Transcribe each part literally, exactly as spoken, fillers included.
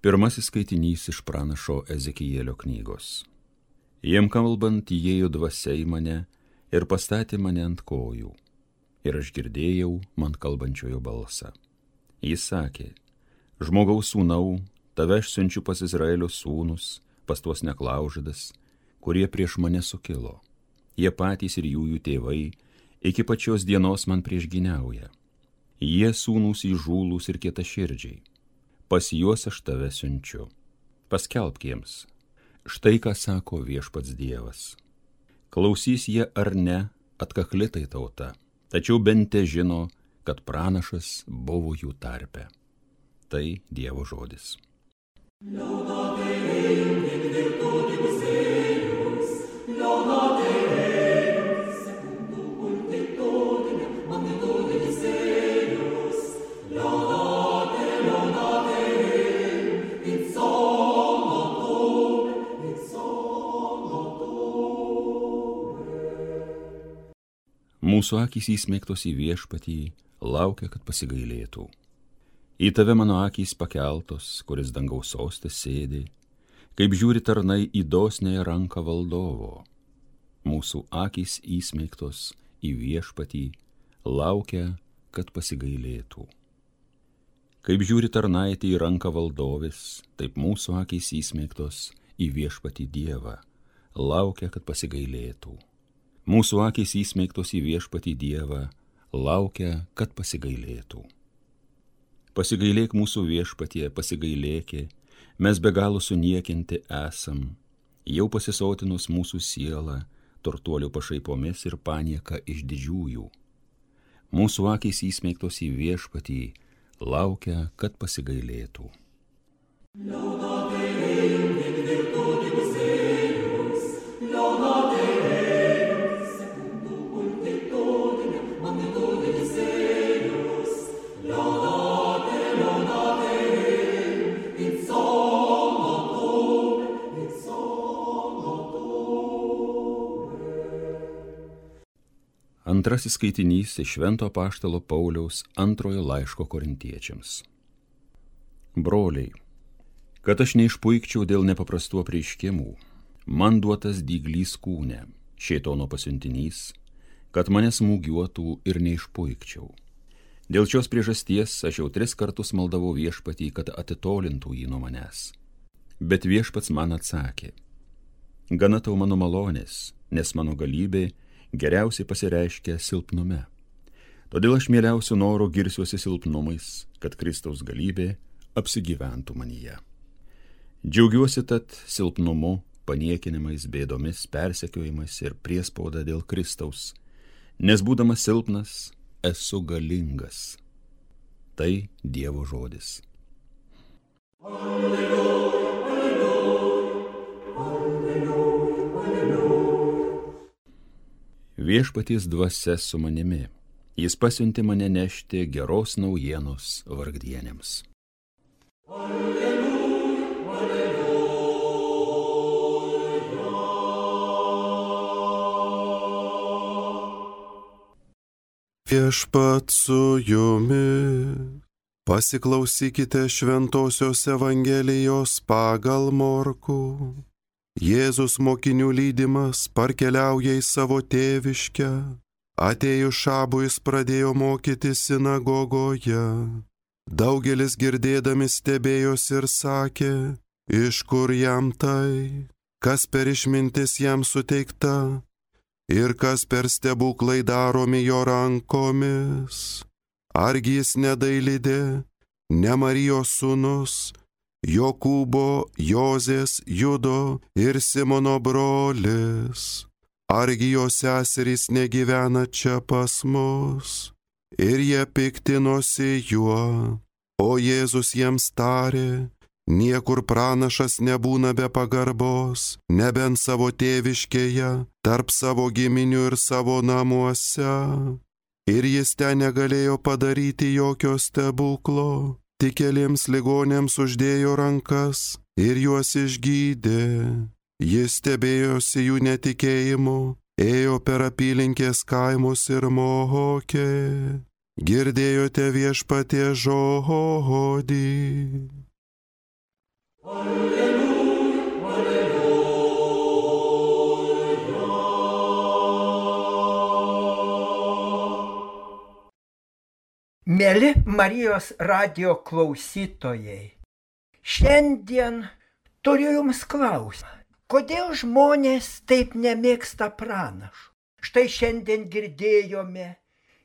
Pirmasis skaitinys iš pranašo Ezekielio knygos. Jiem kalbant įėjo dvasia į mane ir pastatė mane ant kojų. Ir aš girdėjau man kalbančiojo balsą. Jis sakė, žmogaus sūnau, tave aš siunčiu pas Izraelio sūnus, pas tuos neklaužadas, kurie prieš mane sukilo. Jie patys ir jų jų tėvai iki pačios dienos man priešgyniauja. Jie sūnūs įžūlūs ir kietaširdžiai. Pas juos aš tave siunčiu. Paskelbk jiems. Štai ką sako viešpats Dievas. Klausys jie ar ne, atkakli tai tauta, tačiau bent te žino, kad pranašas buvo jų tarpe. Tai Dievo žodis. Mūsų akys įsmeigtos į viešpatį, laukia, kad pasigailėtų. Į tave mano akys pakeltos, kuris dangaus soste sėdi, kaip žiūri tarnai į dosniąją ranką valdovo. Mūsų akys įsmeigtos į viešpatį, laukia, kad pasigailėtų. Kaip žiūri tarnaitė į ranką valdovės, taip mūsų akys įsmeigtos į viešpatį Dievą, laukia, kad pasigailėtų. Mūsų akys įsmeigtos į viešpatį Dievą, laukia, kad pasigailėtų. Pasigailėk mūsų viešpatie, pasigailėki, mes be galo suniekinti esam, jau pasisotinus mūsų sielą, turtuolių pašaipomis ir panieka iš didžiųjų. Mūsų akys įsmeigtos į viešpatį, laukia, kad pasigailėtų. Antrasis skaitinys iš Švento apaštalo Pauliaus antrojo laiško korintiečiams. Broliai, kad aš neišpuikčiau dėl nepaprastų apreiškimų, man duotas dyglys kūne, šėtono pasiuntinys, kad mane smūgiuotų ir neišpuikčiau. Dėl šios priežasties aš jau tris kartus maldavau viešpatį, kad atitolintų jį nuo manęs. Bet viešpats man atsakė, gana tau mano malonės, nes mano galybė geriausiai pasireiškia silpnume. Todėl aš mieliausiu noro girsiuosi silpnumais, kad Kristaus galybė apsigyventų manyje. Džiaugiuosi tad silpnumu, paniekinimais, bėdomis, persekiojimais ir priespauda dėl Kristaus, nes būdamas silpnas, esu galingas. Tai Dievo žodis. Alleluja. Viešpaties dvasia su manimi, jis pasiuntė mane nešti geros naujienos vargdienėms. Alleluja, alleluja. Viešpat su jumis, pasiklausykite Šventosios Evangelijos pagal Morkų. Jėzus mokinių lydimas parkeliauja į savo tėviškę. Atėjus šabui jis pradėjo mokyti sinagogoje. Daugelis girdėdami stebėjosi ir sakė, iš kur jam tai, kas per išmintis jam suteikta ir kas per stebuklai daromi jo rankomis. Argi jis nedailidė, ne Marijos sūnus, Jokūbo, Jozės, Judo ir Simono brolis. Argi jo seserys negyvena čia pas mus? Ir jie piktinosi juo. O Jėzus jiems tarė, niekur pranašas nebūna be pagarbos, nebent savo tėviškėje, tarp savo giminių ir savo namuose. Ir jis ten negalėjo padaryti jokio stebuklo. Tik keliems ligonėms uždėjo rankas ir juos išgydė. Jis stebėjosi jų netikėjimu, ėjo per apylinkės kaimus ir mokė. Girdėjote viešpaties žodį. Alleluja, alleluja. Mėly Marijos radijo klausytojai, šiandien turiu jums klausimą. Kodėl žmonės taip nemėgsta pranašų? Štai šiandien girdėjome,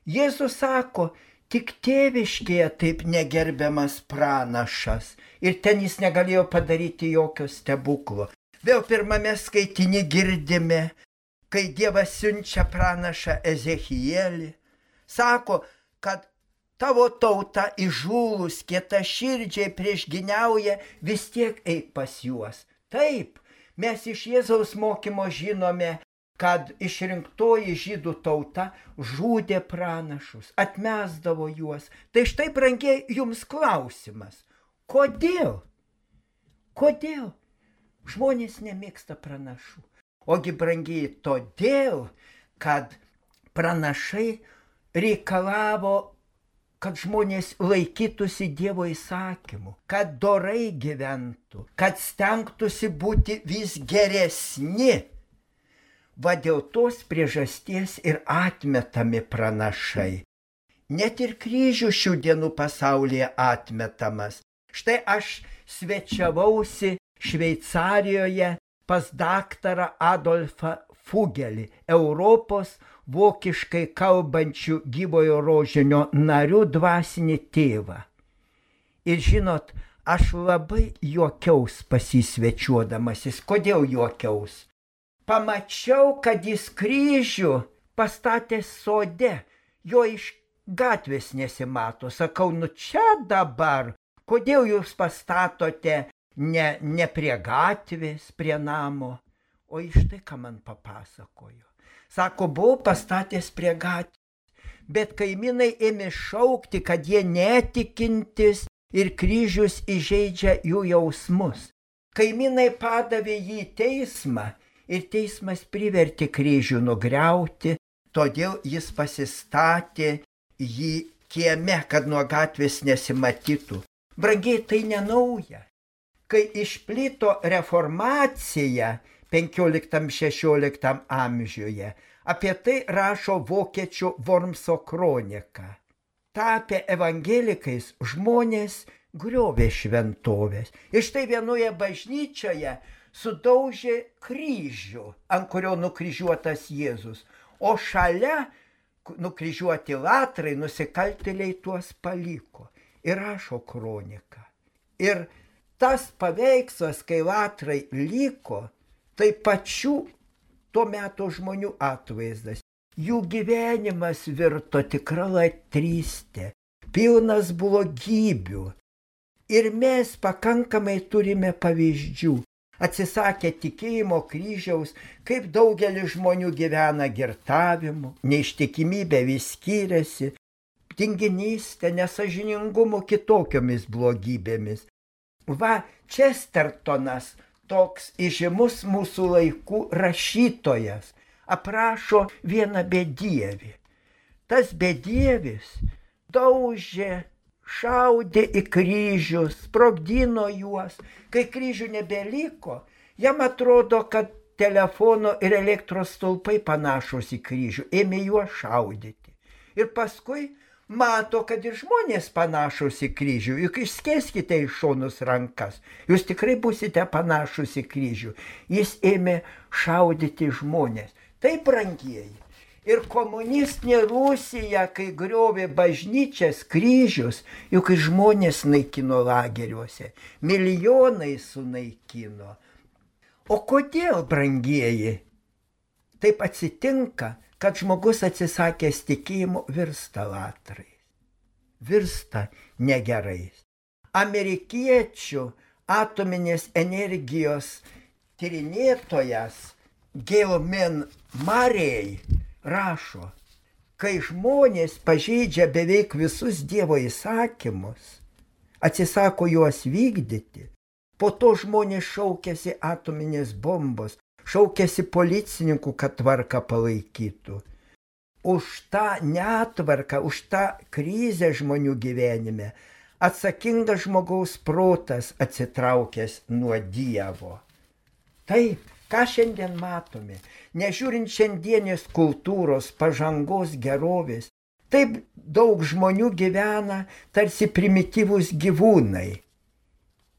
Jėzus sako, tik tėviškėje taip negerbiamas pranašas ir ten jis negalėjo padaryti jokio stebuklo. Vėl pirmame skaitiny girdime, kai Dievas siunčia pranašą Ezechielį, sako, kad tavo tauta įžūlus, kietaširdžiai priešginiauja, vis tiek eik pas juos. Taip, mes iš Jėzaus mokymo žinome, kad išrinktoji žydų tauta žudė pranašus, atmesdavo juos. Tai štai, brangiai, jums klausimas. Kodėl? Kodėl žmonės nemėgsta pranašų? Ogi, brangiai, todėl, kad pranašai reikalavo, kad žmonės laikytųsi Dievo įsakymų, kad dorai gyventų, kad stengtųsi būti vis geresni. Va dėl tos priežasties ir atmetami pranašai. Net ir kryžių šių dienų pasaulyje atmetamas. Štai aš svečiavausi Šveicarijoje pas daktarą Adolfą Fugelį, Europos vokiškai kalbančių gyvojo rožinio narių dvasinį tėvą. Ir žinot, aš labai juokiaus pasisvečiuodamasis. Kodėl juokiaus? Pamačiau, kad jis kryžių pastatė sode, jo iš gatvės nesimato. Sakau, nu čia dabar, kodėl jūs pastatote ne, ne prie gatvės, prie namo? O iš tai, ką man papasakojo. Sako, buvau pastatęs prie gatvės, bet kaimynai ėmė šaukti, kad jie netikintis ir kryžius įžeidžia jų jausmus. Kaimynai padavė jį į teismą, ir teismas privertė kryžių nugriauti, todėl jis pasistatė jį kieme, kad nuo gatvės nesimatytų. Brangiai, tai nenauja. Kai išplito reformacija penkioliktam šešioliktam amžiuje, apie tai rašo vokiečių Wormso kronika. Tapę evangelikais žmonės griovė šventovės. Ir štai vienoje bažnyčioje sudaužė kryžių, ant kurio nukryžiuotas Jėzus, o šalia nukryžiuoti latrai, nusikaltėliai tuos paliko. Ir rašo kroniką. Ir tas paveikslas, kai latrai liko, tai pačių tuo metu žmonių atvaizdas. Jų gyvenimas virto tikra latrystė, pilnas blogybių. Ir mes pakankamai turime pavyzdžių. Atsisakė tikėjimo kryžiaus, kaip daugelis žmonių gyvena girtavimu, neištikimybė vis skiriasi, tinginystė, nesažiningumu, kitokiomis blogybėmis. Va, Čestertonas, toks įžymus mūsų laikų rašytojas, aprašo vieną bedievį. Tas bedievis daužė, šaudė į kryžius, sprogdino juos. Kai kryžių nebeliko, jam atrodo, kad telefono ir elektros stulpai panašus į kryžių, ėmė juos šaudyti. Ir paskui mato, kad ir žmonės panašus į kryžių, juk išskėskite iš šonus rankas, jūs tikrai būsite panašus į kryžių. Jis ėmė šaudyti žmonės. Tai, brangieji. Ir komunistinė Rusija, kai griovė bažnyčias, kryžius, juk žmonės naikino lageriuose, milijonai sunaikino. O kodėl, brangieji, taip atsitinka, kad žmogus atsisakęs tikėjimo virsta latrais, virsta negerais? Amerikiečių atominės energijos tyrinėtojas Gilman Murray rašo, kai žmonės pažeidžia beveik visus Dievo įsakymus, atsisako juos vykdyti, po to žmonės šaukiasi atominės bombos, šaukiasi policininkų, kad tvarką palaikytų. Už tą netvarką, už tą krizę žmonių gyvenime atsakingas žmogaus protas atsitraukęs nuo Dievo. Taip, ką šiandien matome, nežiūrint šiandienės kultūros, pažangos, gerovės, taip daug žmonių gyvena tarsi primityvūs gyvūnai.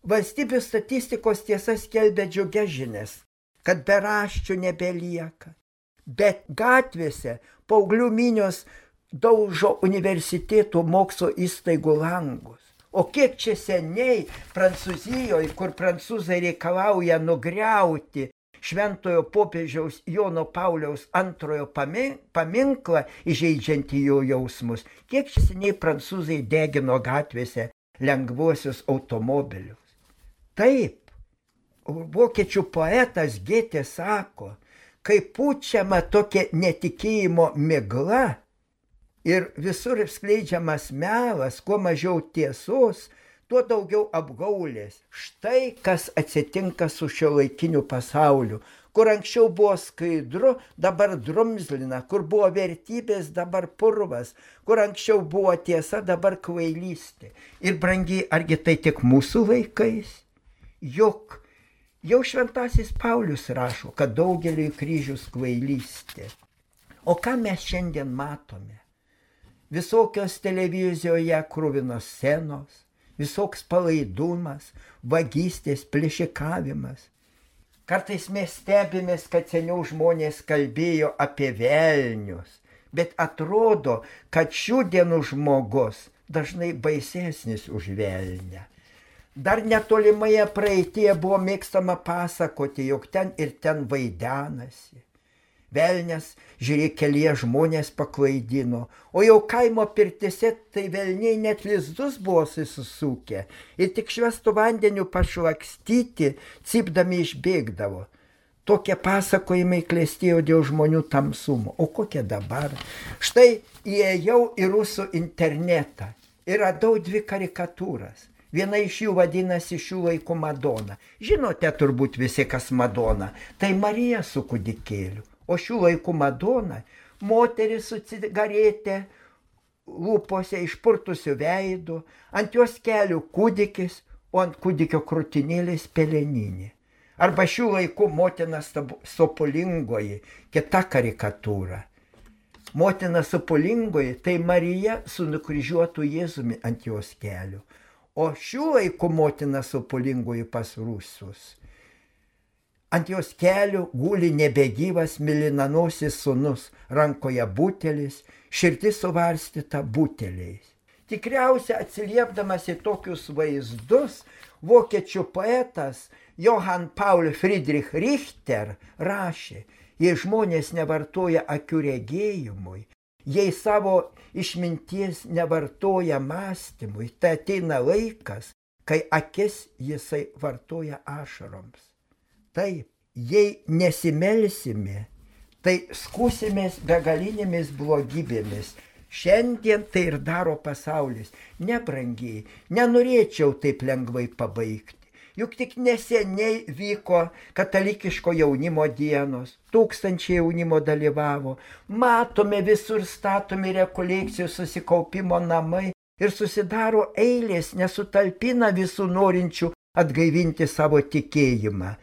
Valstybių statistikos tiesa skelbia džiugias žinias, kad beraščių nebelieka, bet gatvėse paauglių minios daužo universitetų mokslo įstaigų langus. O kiek čia seniai Prancūzijoje, kur prancūzai reikalauja nugriauti šventojo popiežiaus Jono Pauliaus antrojo paminklą, įžeidžiantį jo jausmus, kiek čia seniai prancūzai degino gatvėse lengvuosius automobilius. Taip, vokiečių poetas Gėtė sako, kai pučiama tokia netikėjimo migla, ir visur skleidžiamas melas, kuo mažiau tiesos, tuo daugiau apgaulės. Štai kas atsitinka su šiuolaikiniu pasauliu, kur anksčiau buvo skaidru, dabar drumzlina, kur buvo vertybės, dabar purvas, kur anksčiau buvo tiesa, dabar kvailystė. Ir brangiai, argi tai tik mūsų laikais? Juk jau šventasis Paulius rašo, kad daugeliui kryžius kvailystė. O ką mes šiandien matome? Visokios televizijoje kruvinos scenos, visoks palaidumas, vagystės, plėšikavimas. Kartais mes stebimės, kad seniau žmonės kalbėjo apie velnius, bet atrodo, kad šių dienų žmogus dažnai baisesnis už velnę. Dar netolimoje praeityje buvo mėgstama pasakoti, jog ten ir ten vaidenasi. Velnias, žiūrėk, kelyje žmonės paklaidino, o jau kaimo pirtise tai velniai net lizdus buvo susisukę ir tik švestų vandeniu pašlakstyti, cypdami išbėgdavo. Tokie pasakojimai klestėjo dėl žmonių tamsumo. O kokie dabar? Štai įėjau į rusų internetą ir radau dvi karikatūras. Viena iš jų vadinasi šių laikų Madona. Žinote turbūt visi, kas Madona. Tai Marija su kūdikėliu. O šių laikų Madona, moteris su cigaretė, lūpose išpurtusių veidų, ant jos kelių kūdikis, o ant kūdikio krūtinėlės peleninė. Arba šių laikų motina sopulingoji, kita karikatūra. Motina sopulingoji, tai Marija su nukryžiuotu Jėzumi ant jos kelių. O šių laikų motina sopulingoji pas rusus. Ant jos kelių guli nebegyvas mėlynanosis sūnus, rankoje butelis, širdis suvarstyta buteliais. Tikriausiai atsiliepdamas į tokius vaizdus, vokiečių poetas Johann Paul Friedrich Richter rašė, jei žmonės nevartoja akių regėjimui, jei savo išminties nevartoja mąstymui, tai ateina laikas, kai akis jisai vartoja ašaroms. Taip, jei nesimelsime, tai skūsimės begalinėmis blogybėmis. Šiandien tai ir daro pasaulis. Nebrangiai, nenorėčiau taip lengvai pabaigti. Juk tik neseniai vyko katalikiško jaunimo dienos, tūkstančiai jaunimo dalyvavo, matome visur statomi rekolekcijų susikaupimo namai ir susidaro eilės, nesutalpina visų norinčių atgaivinti savo tikėjimą.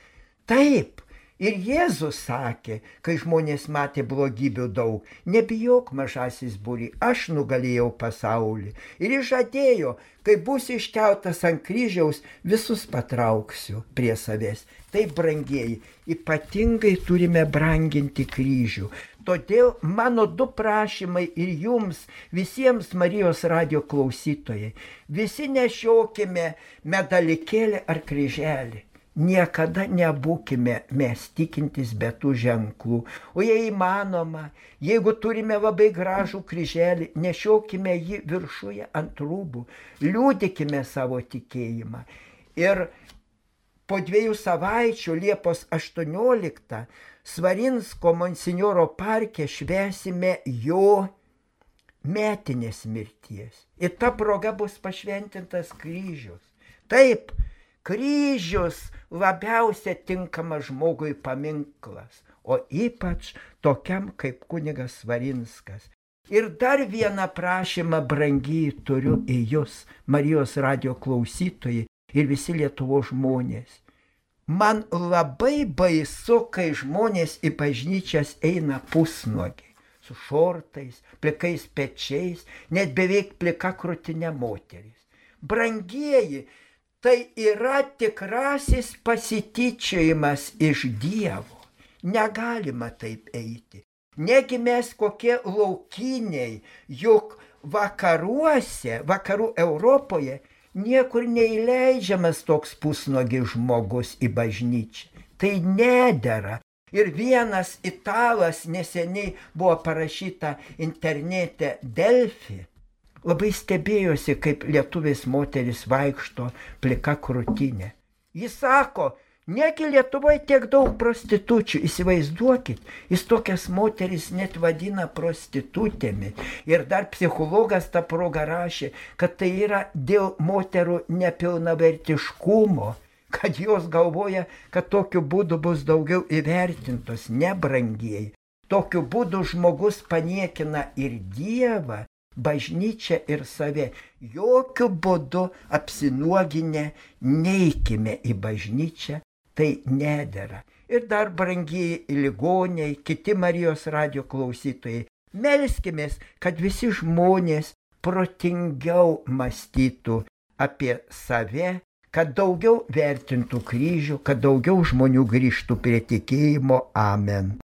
Taip, ir Jėzus sakė, kai žmonės matė blogybių daug, nebijok mažasis būry, aš nugalėjau pasaulį. Ir jis žadėjo, kai bus iškeltas ant kryžiaus, visus patrauksiu prie savęs. Taip, brangieji, ypatingai turime branginti kryžių. Todėl mano du prašymai ir jums, visiems Marijos radijo klausytojai, visi nešiokime medalikėlį ar kryželį. Niekada nebūkime mes tikintis be tų ženklų. O jei įmanoma, jeigu turime labai gražų kryželį, nešiokime jį viršuje ant rūbų, liūdikime savo tikėjimą. Ir po dviejų savaičių, Liepos aštuonioliktą, Svarinsko monsinjoro parke švęsime jo metinės mirties. Ir ta proga bus pašventintas kryžius. Taip, kryžius labiausia tinkamas žmogui paminklas, o ypač tokiam kaip kunigas Svarinskas. Ir dar vieną prašymą, brangiai, turiu į jūs, Marijos radijo klausytojai ir visi Lietuvos žmonės. Man labai baisu, kai žmonės į bažnyčias eina pusnuogiai, su šortais, plikais pečiais, net beveik plika krūtinė moteris. Brangieji, tai yra tikrasis pasityčiojimas iš Dievo. Negalima taip eiti. Negi mes kokie laukiniai, juk vakaruose, vakarų Europoje niekur neįleidžiamas toks pusnuogis žmogus į bažnyčią. Tai nedera. Ir vienas italas neseniai buvo parašyta internete Delfi. Labai stebėjosi, kaip lietuvės moteris vaikšto plika krūtinė. Jis sako, negi Lietuvoje tiek daug prostitučių, įsivaizduokit, jis tokias moteris net vadina prostitutėmis. Ir dar psichologas tą progą rašė, kad tai yra dėl moterų nepilnavertiškumo, kad jos galvoja, kad tokiu būdu bus daugiau įvertintos, nebrangieji. Tokiu būdu žmogus paniekina ir Dievą, bažnyčią ir save. Jokiu būdu apsinuoginę neikime į bažnyčią, tai nedera. Ir dar, brangieji ligoniai, kiti Marijos radijo klausytojai, melskimės, kad visi žmonės protingiau mąstytų apie save, kad daugiau vertintų kryžių, kad daugiau žmonių grįžtų prie tikėjimo. Amen.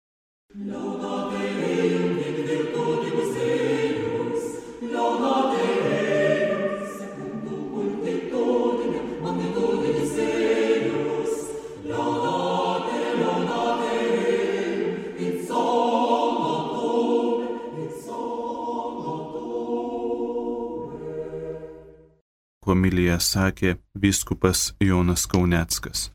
Homiliją sakė vyskupas Jonas Kauneckas.